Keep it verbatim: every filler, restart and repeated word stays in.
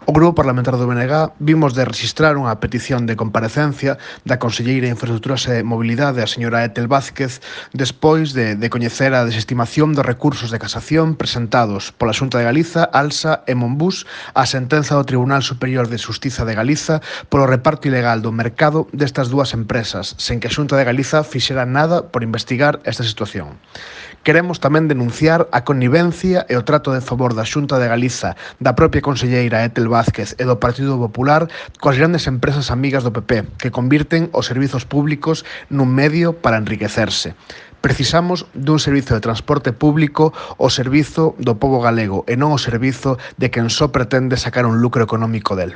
O Grupo Parlamentario do B N G vimos de registrar unha petición de comparecencia da conselleira de Infraestructuras e Mobilidade, a señora Etel Vázquez, despois de, de coñecer a desestimación dos recursos de casación presentados pola Xunta de Galiza, ALSA e Monbús á sentenza do Tribunal Superior de Xustiza de Galiza polo reparto ilegal do mercado destas dúas empresas, sen que a Xunta de Galiza fixera nada por investigar esta situación. Queremos tamén denunciar a connivencia e o trato de favor da Xunta de Galiza, da propia conselleira Etel Vázquez e do Partido Popular coas grandes empresas amigas do P P, que convirten os servizos públicos nun medio para enriquecerse. Precisamos dun servizo de transporte público ao servizo do pobo galego e non ao servizo de quen só pretende sacar un lucro económico del.